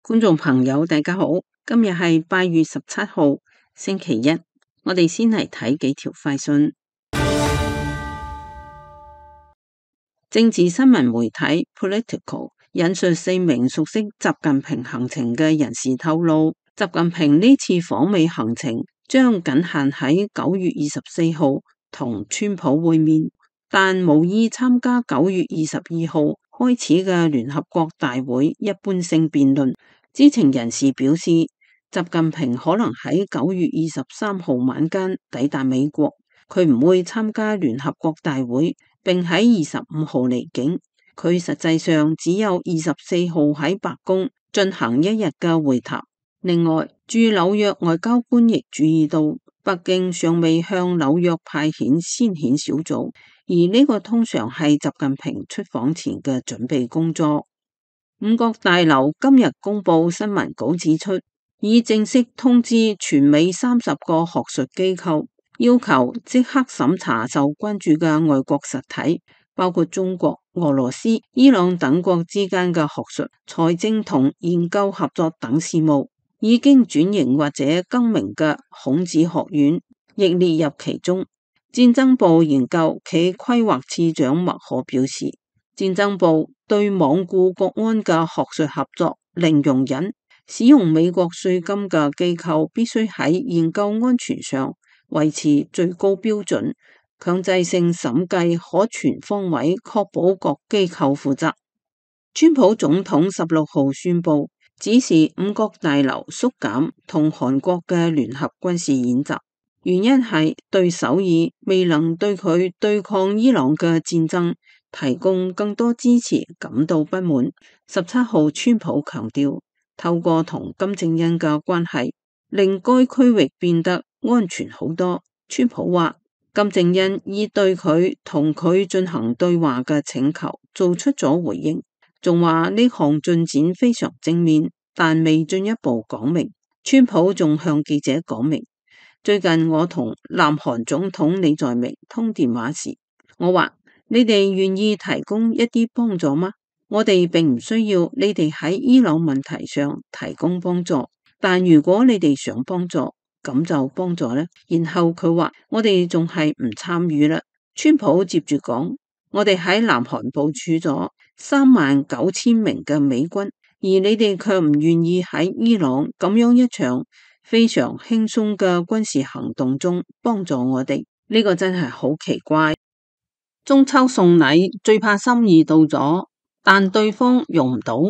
觀眾朋友，大家好，今日係8月17號，星期一，我哋先嚟睇幾條快訊。政治新聞媒體 Political 引述4名熟悉習近平行程嘅人士透露，習近平呢次訪美行程將僅限喺9月24號同川普會面，但無意參加9月22號開始嘅聯合國大會一般性辯論。知情人士表示，習近平可能喺9月23號晚間抵達美國，佢唔會參加聯合國大會，並喺25號離境。佢實際上只有24號喺白宮進行一日嘅會談。另外，駐紐約外交官亦注意到，北京尚未向紐約派遣先遣小組，而呢個通常係習近平出訪前嘅準備工作。五角大樓今日公布新聞稿指出，已正式通知全美30個學術機構，要求即刻審查受關注嘅外國實體，包括中國、俄羅斯、伊朗等國之間嘅學術、財政同研究合作等事務。已經轉型或者更名嘅孔子學院亦列入其中。戰爭部研究暨規劃次長麥可表示，戰爭部對罔顧國安嘅學術合作零容忍，使用美國稅金嘅機構必須喺研究安全上維持最高標準，強制性審計可全方位確保各機構負責。川普總統16號宣布指示五角大樓縮減同韓國嘅聯合軍事演習，原因係對首爾未能對佢對抗伊朗嘅戰爭提供更多支持感到不滿。17號川普強調，透過同金正恩嘅關係令該區域變得安全好多。川普話，金正恩已對佢同佢進行對話嘅請求做出咗回應，仲話呢項進展非常正面，但未進一步講明。川普仲向記者講明，最近我同南韓總統李在明通電話時，我話，你哋願意提供一啲幫助嗎？我哋並唔需要你哋喺伊朗問題上提供幫助，但如果你哋想幫助，咁就幫助咧。然後佢話，我哋仲係唔參與啦。川普接住講，我哋喺南韓部署咗39000名嘅美軍，而你哋卻唔願意喺伊朗咁樣一場非常輕鬆嘅軍事行動中幫助我哋，呢個真係好奇怪。中秋送禮最怕心意到咗，但對方用唔到，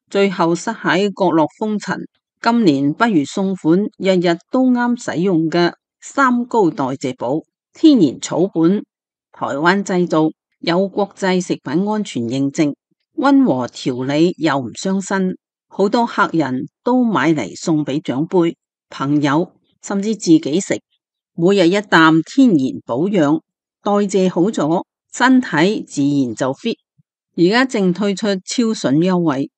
最後塞喺角落封塵。今年不如送款日日都啱使用嘅三高代謝寶，天然草本，台灣製造，有國際食品安全認證，溫和調理又唔傷身，好多客人都買嚟送俾長輩、朋友，甚至自己食。每日一啖天然保養，代謝好咗，身體自然就 fit。而家正推出超筍優惠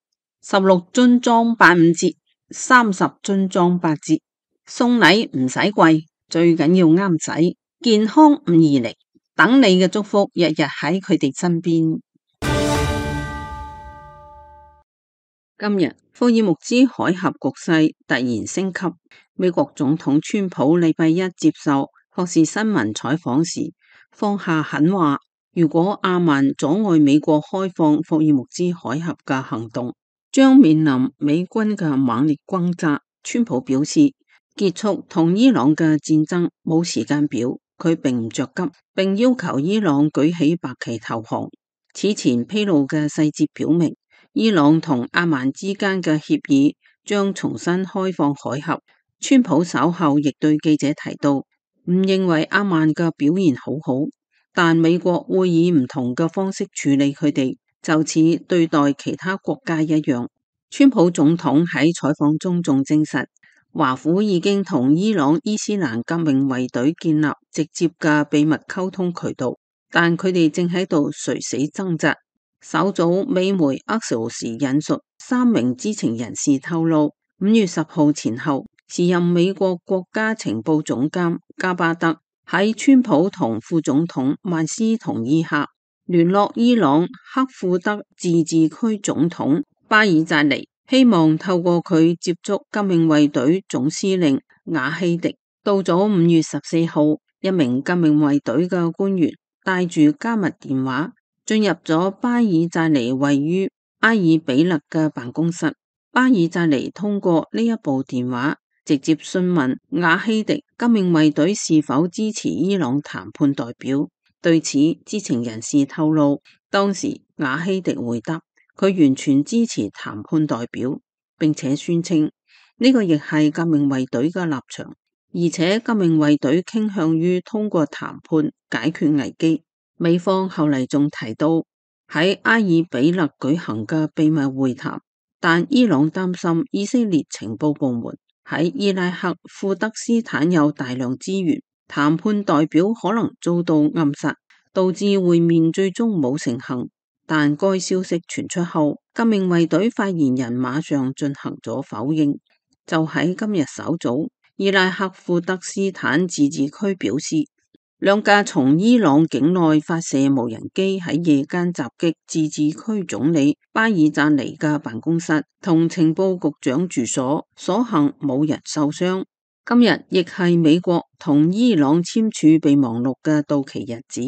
，16樽裝85折，30樽裝8折。送禮唔使貴，最緊要啱使，健康唔易嚟，等你嘅祝福日日喺佢哋身邊。今日霍爾木茲海峽局勢突然升級，美國總統川普禮拜一接受霍士新聞採訪時放下狠話，如果阿曼阻礙美國開放霍爾木茲海峽嘅行動，將面臨美軍嘅猛烈轟炸。川普表示，結束同伊朗嘅戰爭冇時間表，佢並唔着急，並要求伊朗舉起白旗投降。此前披露嘅細節表明，伊朗同阿曼之間嘅協議將重新開放海峽。川普稍後亦對記者提到，唔認為阿曼嘅表現好好，但美國會以唔同嘅方式處理佢哋，就似對待其他國家一樣。川普總統喺採訪中仲證實，華府已經同伊朗伊斯蘭革命衛隊建立直接嘅秘密溝通渠道，但佢哋正喺度垂死掙扎。稍早美媒 Axios 引述3名知情人士透露，5月10號前後，時任美國國家情報總監加巴德喺川普同副總統曼斯同意下，聯絡伊朗克庫德自治區總統巴爾扎尼，希望透過佢接觸革命衛隊總司令瓦希迪。到咗5月14號，一名革命衛隊嘅官員帶住加密電話進入咗巴爾扎尼位於阿爾比勒嘅辦公室。巴爾扎尼通過呢一部電話直接詢問瓦希迪革命衛隊是否支持伊朗談判代表。對此，知情人士透露，當時瓦希迪回答佢完全支持談判代表，並且宣稱呢個亦係革命衛隊嘅立場，而且革命衛隊傾向於通過談判解決危機。美方後嚟仲提到喺阿爾比勒舉行嘅秘密會談，但伊朗擔心以色列情報部門喺伊拉克庫德斯坦有大量資源，談判代表可能遭到暗殺，導致會面最終冇成行。但該消息傳出後，革命衛隊發言人馬上進行咗否認。就喺今日稍早，伊拉克庫德斯坦自治區表示，兩架從伊朗境內發射無人機喺夜間襲擊自治區總理巴爾扎尼嘅辦公室同情報局長住所，所幸冇人受傷。今日亦係美國同伊朗簽署備忘錄嘅到期日子。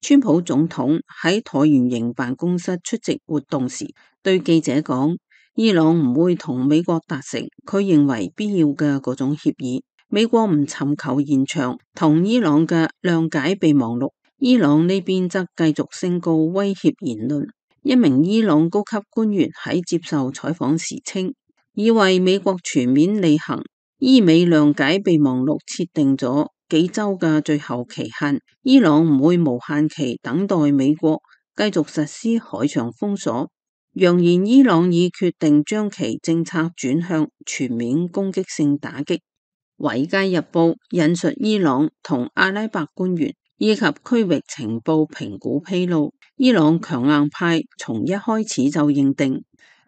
川普總統喺橢圓形辦公室出席活動時，對記者講，伊朗唔會同美國達成佢認為必要嘅嗰種協議。美國唔尋求延長同伊朗嘅諒解備忘錄，伊朗呢邊則繼續宣告威脅言論。一名伊朗高級官員喺接受採訪時稱，以為美國全面履行伊美諒解備忘錄設定咗幾週嘅最後期限，伊朗唔會無限期等待美國繼續實施海上封鎖，揚言伊朗已決定將其政策轉向全面攻擊性打擊。《維佳日報》引述伊朗同阿拉伯官員以及區域情報評估披露，伊朗強硬派從一開始就認定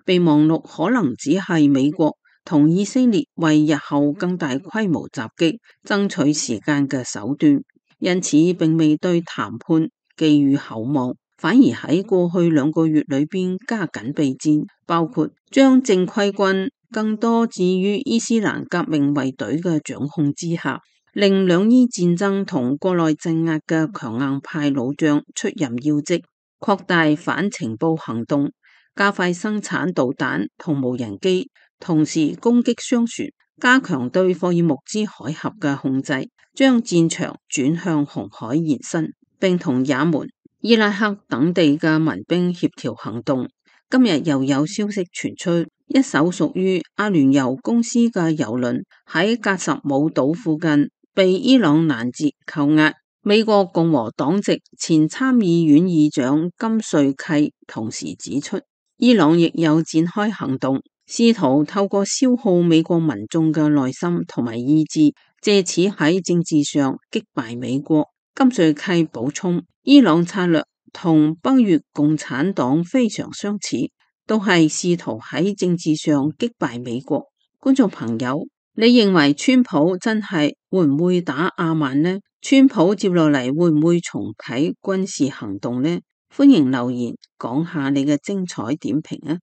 備忘錄可能只係美國同以色列為日後更大規模襲擊爭取時間嘅手段，因此並未對談判寄予厚望，反而喺過去2個月裏邊加緊備戰，包括將正規軍更多置於伊斯蘭革命衛隊嘅掌控之下，令兩伊戰爭同國內鎮壓嘅強硬派老將出任要職，擴大反情報行動，加快生產導彈同無人機，同時攻擊商船，加強對霍爾木茲海峽嘅控制，將戰場轉向紅海延伸，並同也門、伊拉克等地嘅民兵協調行動。今日又有消息傳出，一艘屬於阿聯酋公司嘅郵輪喺格什姆島附近被伊朗攔截扣押。美國共和黨籍前參議院議長金瑞契同時指出，伊朗亦有展開行動，試圖透過消耗美國民眾嘅耐心同埋意志，借此喺政治上擊敗美國。金瑞契補充，伊朗策略同北越共產黨非常相似，都係試圖喺政治上擊敗美國。觀眾朋友，你認為川普真係會唔會打阿曼呢？川普接落嚟會唔會重啟軍事行動呢？歡迎留言講下你嘅精彩點評啊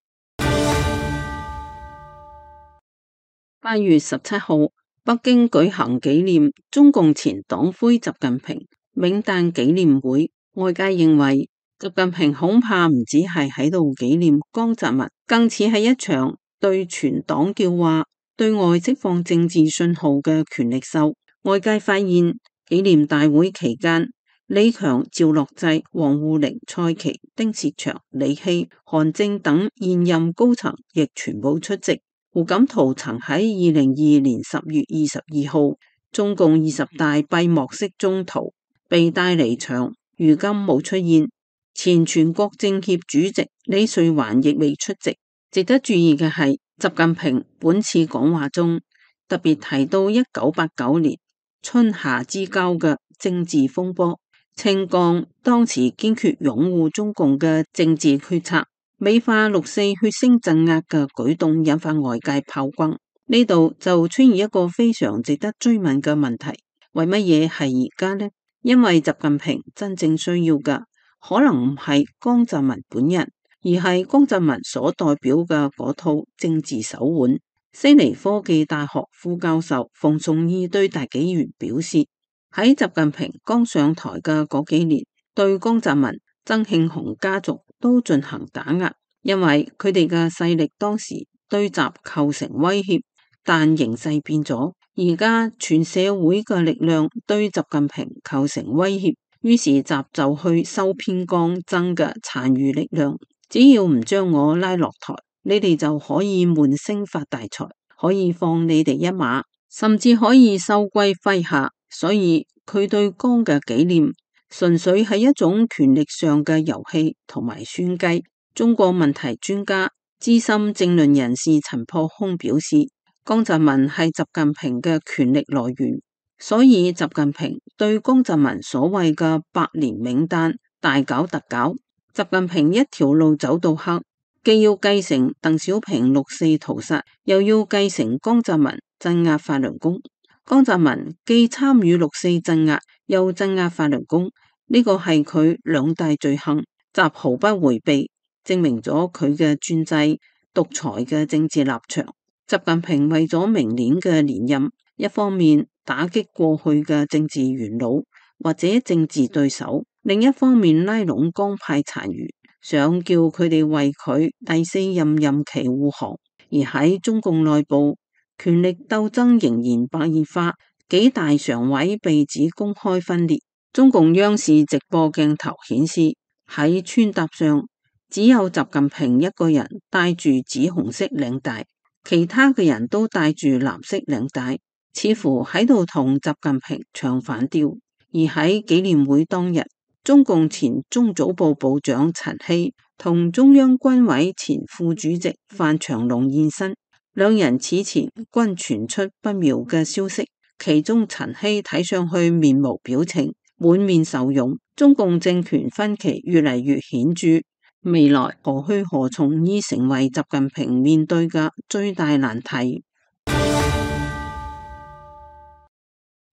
！8月17號，北京舉行紀念中共前黨魁習近平冥誕紀念會，外界認為習近平恐怕唔止係喺度紀念江澤民，更似係一場對全黨叫話、對外釋放政治信號嘅權力秀。外界發現紀念大會期間，李強、趙樂際、王滬寧、蔡奇、丁薛祥、李希、韓正等現任高層亦全部出席。胡錦濤曾喺2022年10月22號中共20大閉幕式中途被帶離場，如今冇出現。前全國政協主席李瑞環亦未出席。值得注意嘅係，習近平本次講話中特別提到1989年春夏之交嘅政治風波，稱江當時堅決擁護中共嘅政治決策，美化6.4血腥鎮壓嘅舉動引發外界炮轟。呢度就出現一個非常值得追問嘅問題，為乜嘢係而家呢？因為習近平真正需要嘅可能唔係江澤民本人，而係江澤民所代表嘅嗰套政治手腕。悉尼科技大學副教授馮崇義對大紀元表示，喺習近平剛上台嘅嗰幾年，對江澤民、曾慶紅家族都進行打壓，因為佢哋嘅勢力當時對習構成威脅。但形勢變咗，而家全社會嘅力量對習近平構成威脅，於是習就去收編江曾嘅殘餘力量，只要唔將我拉落台，你哋就可以悶聲發大財，可以放你哋一馬，甚至可以收歸麾下。所以佢對江嘅紀念純粹係一種權力上嘅遊戲同埋算計。中國問題專家資深政論人士陳破空表示，江澤民係習近平嘅權力來源，所以習近平對江澤民所謂嘅百年名單大搞特搞。習近平一條路走到黑，既要繼承鄧小平六四屠殺，又要繼承江澤民鎮壓法輪功。江澤民既參與六四鎮壓，又鎮壓法輪功，呢個係佢兩大罪行，習毫不回避，證明咗佢嘅專制獨裁嘅政治立場。習近平為咗明年嘅連任，一方面打擊過去嘅政治元老或者政治對手，另一方面拉攏江派殘餘，想叫佢哋為佢第四任期護航。而喺中共內部，權力鬥爭仍然白熱化，幾大常委被指公開分裂。中共央視直播鏡頭顯示，喺穿搭上只有習近平一個人戴住紫紅色領帶，其他嘅人都戴住藍色領帶，似乎喺度同習近平唱反調。而喺紀念會當日，中共前中組部部長陳希同中央軍委前副主席范長龍現身。兩人此前均傳出不妙嘅消息，其中陳希睇上去面無表情，滿面愁容。中共政權分歧越嚟越顯著，未來何去何從已成為習近平面對嘅最大難題。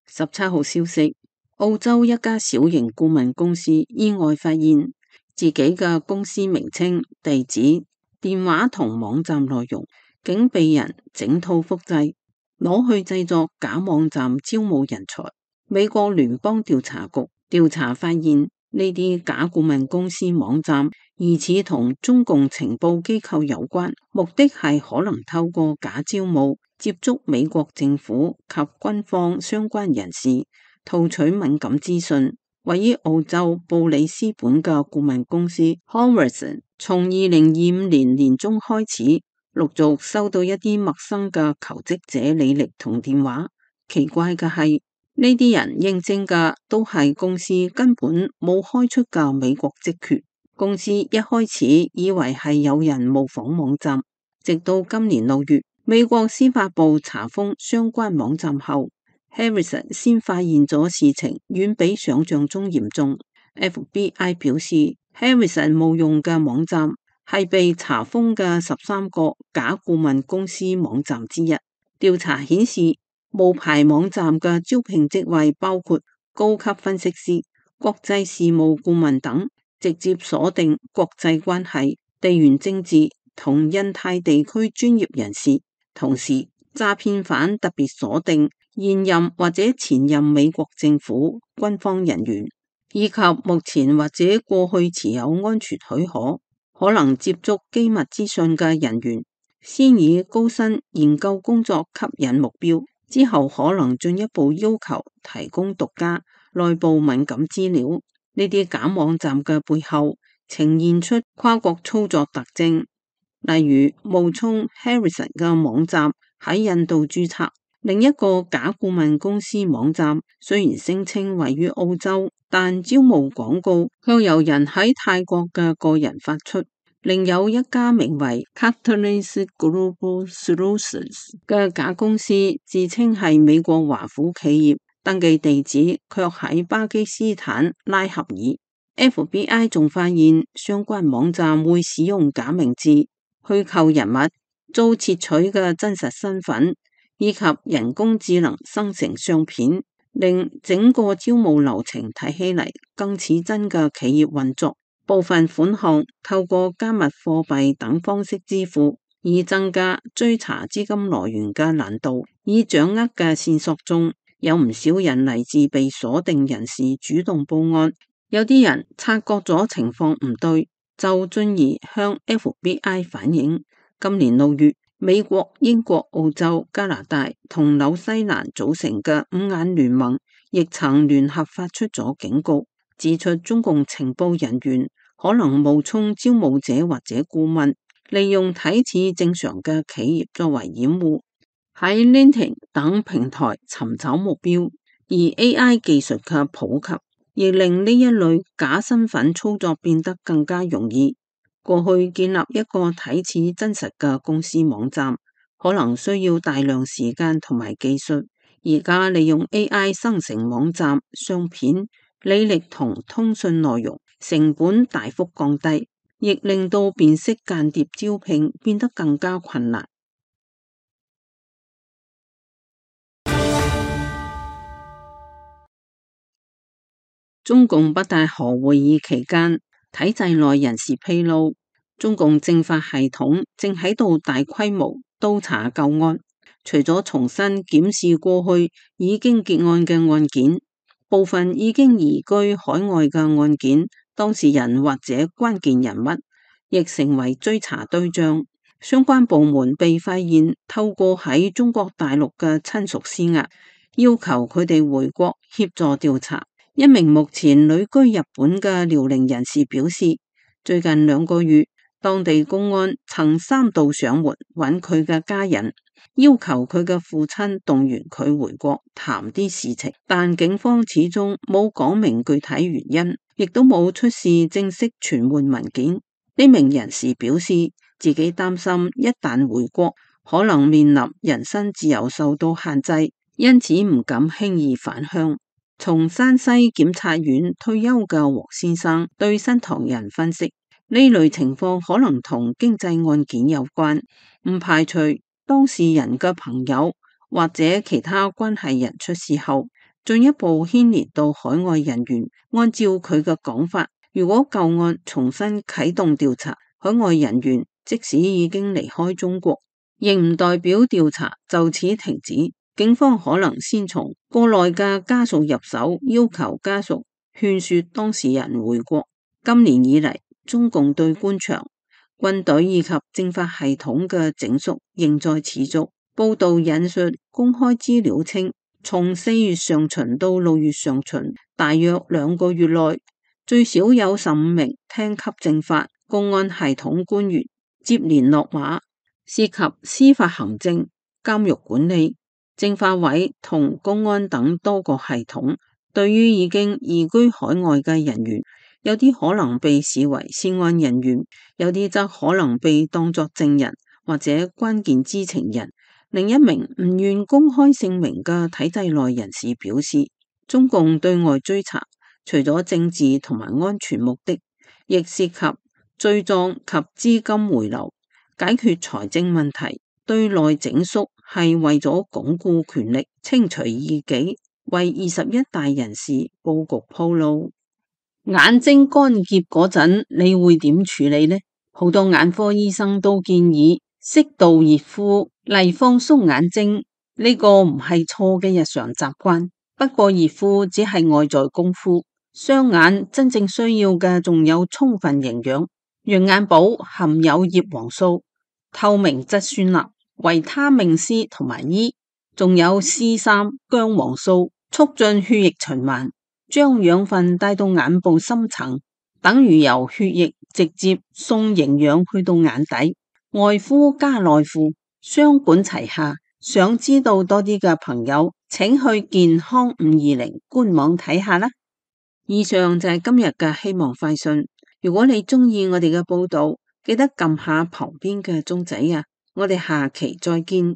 17號消息，澳洲一家小型顧問公司意外發現自己嘅公司名稱、地址、電話同網站內容竟被人整套複製，攞去製作假網站招募人才。美國聯邦調查局調查發現，呢啲假顧問公司網站疑似同中共情報機構有關，目的係可能透過假招募接觸美國政府及軍方相關人士，套取敏感資訊。位於澳洲布里斯本嘅顧問公司 Horizon 從2025年年中開始陸續收到一啲陌生嘅求職者履歷同電話。奇怪嘅係，呢啲人應徵嘅都係公司根本冇開出嘅美國職缺。公司一開始以為係有人模仿網站，直到今年6月，美國司法部查封相關網站後，Harrison 先發現咗事情遠比想象中嚴重。FBI 表示，Harrison 冒用嘅網站係被查封嘅13個假顧問公司網站之一。調查顯示，冒牌網站嘅招聘職位包括高級分析師、國際事務顧問等，直接鎖定國際關係、地緣政治同印太地區專業人士。同時，詐騙犯特別鎖定現任或者前任美國政府軍方人員，以及目前或者過去持有安全許可、可能接觸機密資訊嘅人員，先以高薪研究工作吸引目標，之後可能進一步要求提供獨家內部敏感資料。呢啲假網站嘅背後呈現出跨國操作特徵，例如冒充 Harrison 嘅網站喺印度註冊，另一個假顧問公司網站雖然聲稱位於澳洲，但招募廣告卻由人喺泰國嘅個人發出。另有一家名為 Catalyst Global Solutions 嘅假公司，自稱係美國華府企業，登記地址卻喺巴基斯坦拉合爾。FBI 仲發現相關網站會使用假名字、虛構人物、遭竊取嘅真實身份，以及人工智能生成相片，令整個招募流程睇起嚟更似真嘅企業運作。部分款項透過加密貨幣等方式支付，以增加追查資金來源嘅難度。已掌握嘅線索中，有唔少人嚟自被鎖定人士主動報案，有啲人察覺咗情況唔對，就進而向 FBI 反映。今年6月，美國、英國、澳洲、加拿大同紐西蘭組成嘅五眼聯盟亦曾聯合發出咗警告，指出中共情報人員可能冒充招募者或者顧問，利用睇似正常嘅企業作為掩護，喺 LinkedIn 等平台尋找目標。而 AI 技術嘅普及亦令呢一類假身份操作變得更加容易。過去建立一個睇似真實嘅公司網站可能需要大量時間同埋技術，而家利用 AI 生成網站、相片、履歷同通訊內容，成本大幅降低，亦令到辨識間諜招聘變得更加困難。中共北戴河會議期間，體制內人士披露，中共政法系統正喺度大規模督查舊案，除咗重新檢視過去已經結案嘅案件，部分已經移居海外嘅案件，當事人或者關鍵人物亦成為追查對象。相關部門被發現透過喺中國大陸嘅親屬施壓，要求佢哋回國協助調查。一名目前旅居日本嘅遼寧人士表示，最近2個月，當地公安曾3度上門揾佢嘅家人，要求佢嘅父親動員佢回國談啲事情，但警方始終冇講明具體原因，亦都冇出示正式傳喚文件。呢名人士表示，自己擔心一旦回國，可能面臨人身自由受到限制，因此唔敢輕易返鄉。從山西檢察院退休嘅黃先生對新唐人分析，呢類情況可能同經濟案件有關，唔排除當事人嘅朋友或者其他關係人出事後，進一步牽連到海外人員。按照佢嘅講法，如果舊案重新啟動調查，海外人員即使已經離開中國，亦唔代表調查就此停止。警方可能先從國內嘅家屬入手，要求家屬勸說當事人回國。今年以嚟，中共對官場、軍隊以及政法系統嘅整肅仍在持續。報道引述公開資料稱，從4月上旬到6月上旬，大約2個月內，最少有15名廳級政法、公安系統官員接連落馬，涉及司法行政、監獄管理、政法委同公安等多個系統。對於已經移居海外嘅人員，有啲可能被視為涉案人員，有啲則可能被當作證人或者關鍵知情人。另一名唔願公開姓名嘅體制內人士表示，中共對外追查除咗政治同埋安全目的，亦涉及罪狀及資金回流、解決財政問題。對內整肅係為咗鞏固權力、清除異己，為21大人士佈局鋪路。眼睛乾澀嗰陣，你會點處理呢？好多眼科醫生都建議適度熱敷嚟放鬆眼睛，呢個唔係錯嘅日常習慣。不過熱敷只係外在功夫，雙眼真正需要嘅仲有充分營養。羊眼寶含有葉黃素、透明質酸鈉、維他命 C 同埋 E， 仲有 C3 薑黃素，促進血液循環，將養分帶到眼部深層，等於由血液直接送營養去到眼底。外敷加內敷，雙管齊下。想知道多啲嘅朋友，請去健康520官網睇下啦。以上就係今日嘅希望快訊。如果你中意我哋嘅報道，記得撳下旁邊嘅鐘仔啊！我哋下期再見。